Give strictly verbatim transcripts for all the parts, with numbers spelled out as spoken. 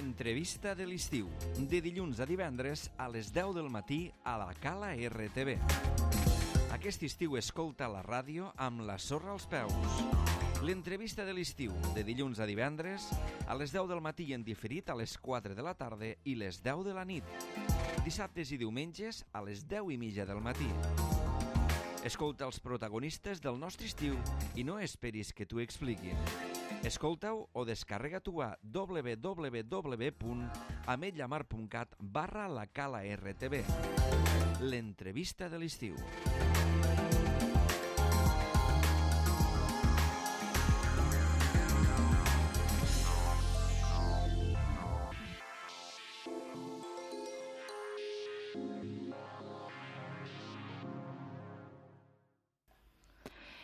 L'entrevista de l'estiu, de dilluns a divendres a les deu del matí a la Cala R T V. Aquest estiu escolta la ràdio amb la sorra als peus. L'entrevista de l'estiu, de dilluns a divendres a les deu del matí i en diferit a les quatre de la tarda i les deu de la nit. Dissabtes i diumenges a les deu i mitja del matí. Escolta els protagonistes del nostre estiu i no esperis que t'ho expliquin. Escolta-ho o descarrega-t'ho a w w w punt ametlla mar punt cat barra la Cala R T V. L'entrevista de l'estiu.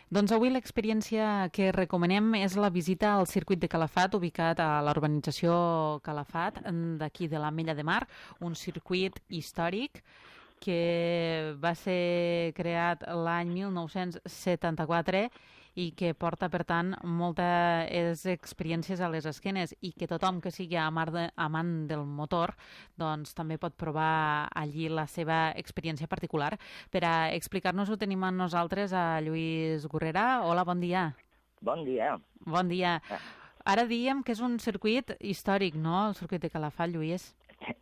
Doncs avui l'experiència que recomanem és la visita al circuit de Calafat, ubicat a la urbanització Calafat, d'aquí de l'Ametlla de Mar, un circuit històric que va ser creat l'any mil nou-cents setanta-quatre i que porta, per tant, moltes experiències a les esquenes i que tothom que sigui amant, de, amant del motor doncs també pot provar allí la seva experiència particular. Per a explicar-nos-ho tenim amb nosaltres a Lluís Gurrera. Hola, bon dia. Bon dia. Bon dia. Ara diem que és un circuit històric, no?, el circuit de Calafat, Lluís.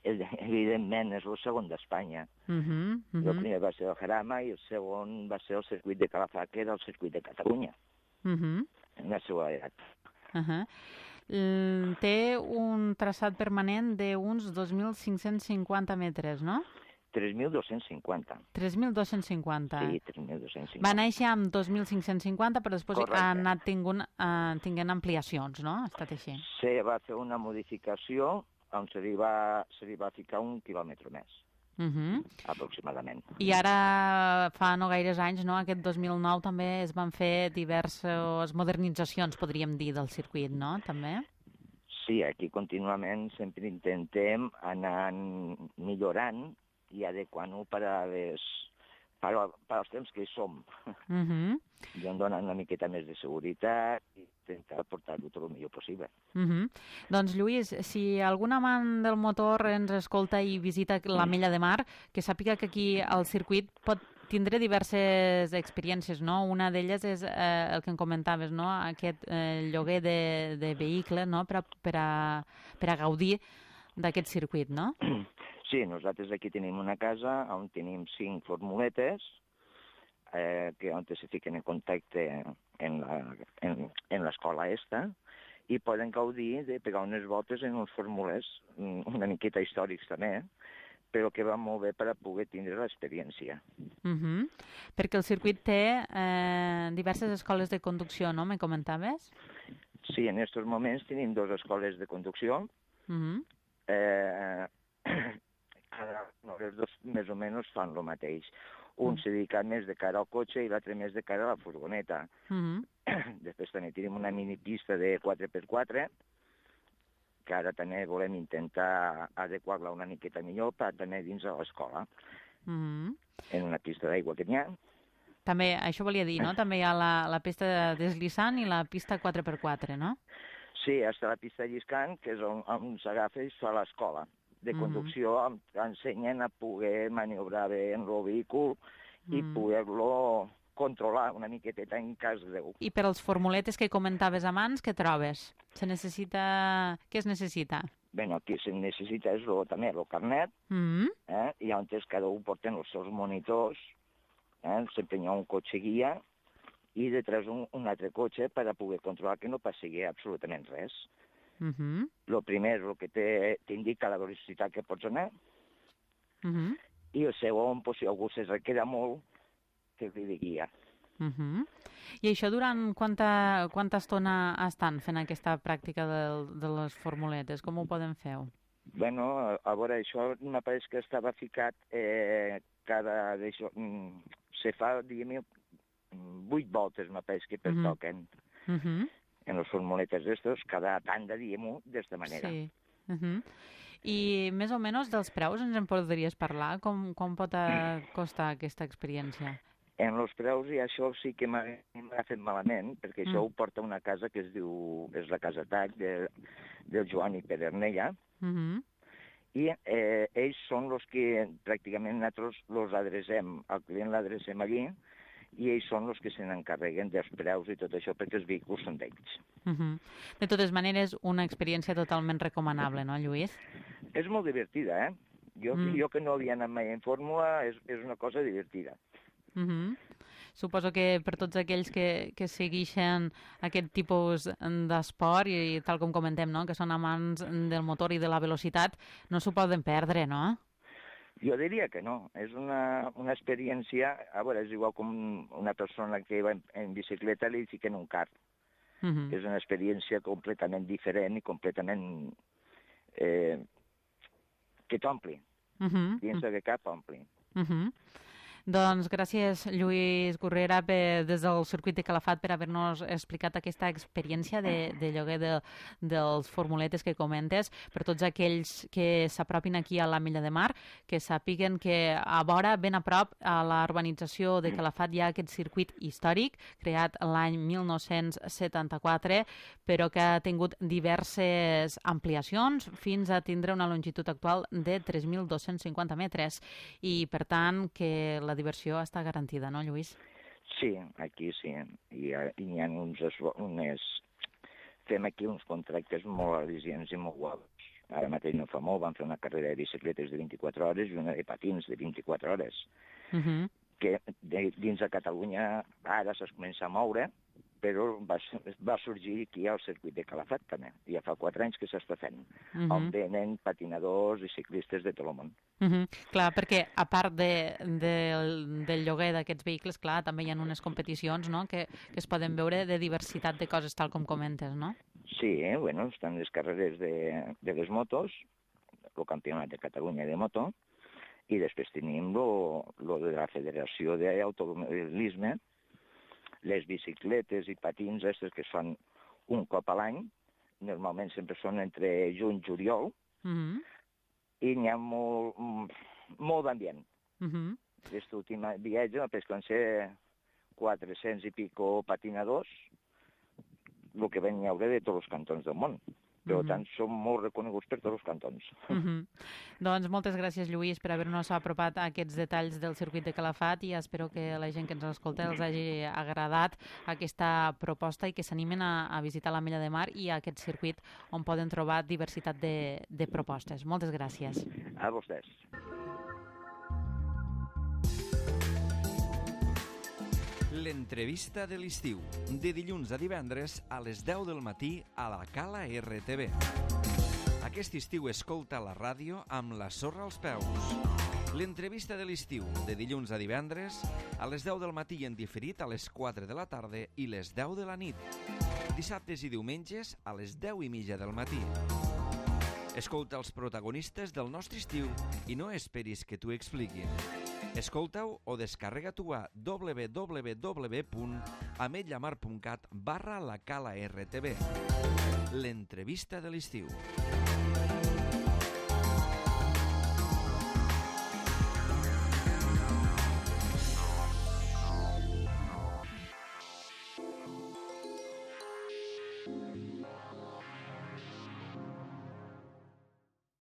Evidentment, és el segon d'Espanya. Uh -huh, uh -huh. El primer va ser el Jarama i el segon va ser el circuit de Calafat, que era el circuit de Catalunya, uh -huh. en la seva edat. Uh -huh. Té un traçat permanent d'uns dos mil cinc-cents cinquanta metres, no? tres mil dos-cents cinquanta. tres mil dos-cents cinquanta. Sí, tres mil dos-cents cinquanta. Va néixer amb dos mil cinc-cents cinquanta, però després Correcte. ha anat tingunt, uh, tinguent ampliacions, no? Ha estat així. Se va fer una modificació on se li va, se li va ficar un quilòmetre més, Uh -huh. aproximadament. I ara, fa no gaires anys, no? Aquest dos mil nou també es van fer diverses modernitzacions, podríem dir, del circuit, no? També? Sí, aquí contínuament sempre intentem anar millorant i adequant-ho per, a les, per, per als temps que hi som. Uh -huh. I em donen una miqueta més de seguretat i intentar portar-ho tot el millor possible. Uh -huh. Doncs, Lluís, si algun amant del motor ens escolta i visita l'Ametlla de Mar, que sàpiga que aquí al circuit pot tindre diverses experiències, no? Una d'elles és eh, el que em comentaves, no? Aquest eh, lloguer de, de vehicle, no? Per a, per a, per a gaudir d'aquest circuit, no? Sí, nosaltres aquí tenim una casa on tenim cinc formuletes eh, que on se fiquen en contacte en la, en, en l'escola esta i poden gaudir de pegar unes voltes en uns formulers una miqueta històrics també, però que va molt bé per a poder tindre l'experiència. Uh -huh. Perquè el circuit té eh, diverses escoles de conducció, no? Me comentaves? Sí, en aquests moments tenim dues escoles de conducció. Uh -huh. eh, Cada, no, els dos més o menys fan el mateix. Un mm. se dedica més de cara al cotxe i l'altre més de cara a la furgoneta. Mm -hmm. Després també tenim una minipista de quatre per quatre, que ara també volem intentar adequar-la una miqueta millor per també dins de l'escola. Mm -hmm. En una pista d'aigua que n'hi ha. També, això volia dir, no? També hi ha la, la pista deslizant i la pista quatre per quatre, no? Sí, està la pista lliscant, que és on, on s'agafa i es fa l'escola de conducció, uh -huh. ensenyen a poder maniobrar bé en el vehícul uh -huh. i poder-lo controlar una miqueteta en cas greu. I per als formuletes que comentaves abans, què trobes? Se necessita... Què es necessita? Bé, el que se necessita és lo, també el carnet, uh -huh. eh? I on cada un porten els seus monitors, eh? Sempre hi ha un cotxe guia i detrás un, un altre cotxe per a poder controlar que no passi absolutament res. Uh -huh. El primer és el que t'indica la velocitat que pots anar, uh -huh. i el segon, pues, si algú se requera molt, que li de guia. Uh -huh. I això durant quanta, quanta estona estan fent aquesta pràctica de, de les formuletes? Com ho poden fer? Bueno, a, a veure, això me pareix que estava ficat eh, cada... D'això, mm, se fa, diguem, vuit voltes, me pareix que pertoquen. Uh -huh. Uh -huh. En les formuletes d'estos, cada tanda, diguem-ho, d'esta manera. Sí. Uh -huh. I més o menys dels preus ens en podries parlar? Com, com pot costar aquesta experiència? En els preus, i això sí que m'ha fet malament, perquè Mm. això ho porta una casa que es diu, és la Casa Tac, de, del Joan i Pedernella, Mhm. i eh, ells són els que pràcticament nosaltres els adrecem, el client l'adrecem allí, i ells són els que se n'encarreguen dels preus i tot això, perquè els vehicles són d'ells. Mhm. De totes maneres, una experiència totalment recomanable, no, Lluís? És molt divertida, eh? Jo, Mm. jo que no havia anat mai en fórmula, és, és una cosa divertida. Mhm. Suposo que per tots aquells que, que segueixen aquest tipus d'esport i, tal com comentem, no? Que són amants del motor i de la velocitat, no s'ho poden perdre, no? Jo diria que no. És una, una experiència... A veure, és igual com una persona que va en, en bicicleta li fiquen un car. Mhm. És una experiència completament diferent i completament... Eh, que t'ompli. Mhm. Dins de cap ompli. Mhm. Doncs gràcies, Lluís Gurrera, per, des del circuit de Calafat, per haver-nos explicat aquesta experiència de, de lloguer de, dels formuletes que comentes. Per tots aquells que s'apropin aquí a la Milla de Mar, que sàpiguen que a vora, ben a prop, a la urbanització de Calafat hi ha aquest circuit històric, creat l'any mil nou-cents setanta-quatre, però que ha tingut diverses ampliacions fins a tindre una longitud actual de tres mil dos-cents cinquanta metres. I, per tant, que la diversió està garantida, no, Lluís? Sí, aquí sí. I, i hi ha uns, unes... Fem aquí uns contractes molt al·licients i molt guapos. Ara mateix no fa molt, vam fer una carrera de bicicletes de vint-i-quatre hores i una de patins de vint-i-quatre hores. Uh -huh. Que de, dins de Catalunya ara s'es comença a moure, però va, va sorgir aquí al circuit de Calafat també. Ja fa quatre anys que s'està fent, uh -huh. on venen patinadors i ciclistes de tot el món. Uh -huh. Clar, perquè a part de, de, del lloguer d'aquests vehicles, clar, també hi ha unes competicions, no?, que, que es poden veure de diversitat de coses, tal com comentes, no? Sí, eh? Bueno, estan les carreres de, de les motos, el campionat de Catalunya de moto, i després tenim lo, lo de la Federació d'Automobilisme, les bicicletes i patins aquestes que es fan un cop a l'any, normalment sempre són entre juny i juliol, uh -huh. i n'hi ha molt, molt d'ambient. Uh -huh. Aquest últim viatge van ser quatre-cents i pico patinadors, el que van haure de tots els cantons del món. Per Uh -huh. tant, són molt reconeguts per tots els cantons. Uh -huh. Doncs moltes gràcies, Lluís, per haver-nos apropat a aquests detalls del circuit de Calafat, i espero que la gent que ens escolta els hagi agradat aquesta proposta i que s'animen a, a visitar la Milla de Mar i a aquest circuit on poden trobar diversitat de, de propostes. Moltes gràcies. A vostès. L'entrevista de l'estiu, de dilluns a divendres a les deu del matí a la Cala R T V. Aquest estiu escolta la ràdio amb la sorra als peus. L'entrevista de l'estiu, de dilluns a divendres a les deu del matí i en diferit a les quatre de la tarda i les deu de la nit. Dissabtes i diumenges a les deu i mitja del matí. Escolta els protagonistes del nostre estiu i no esperis que t'ho expliquin. Escolta-ho o descarrega-t'ho a w w w punt ametlllamar punt cat barra la Cala R T V. L'entrevista de l'estiu.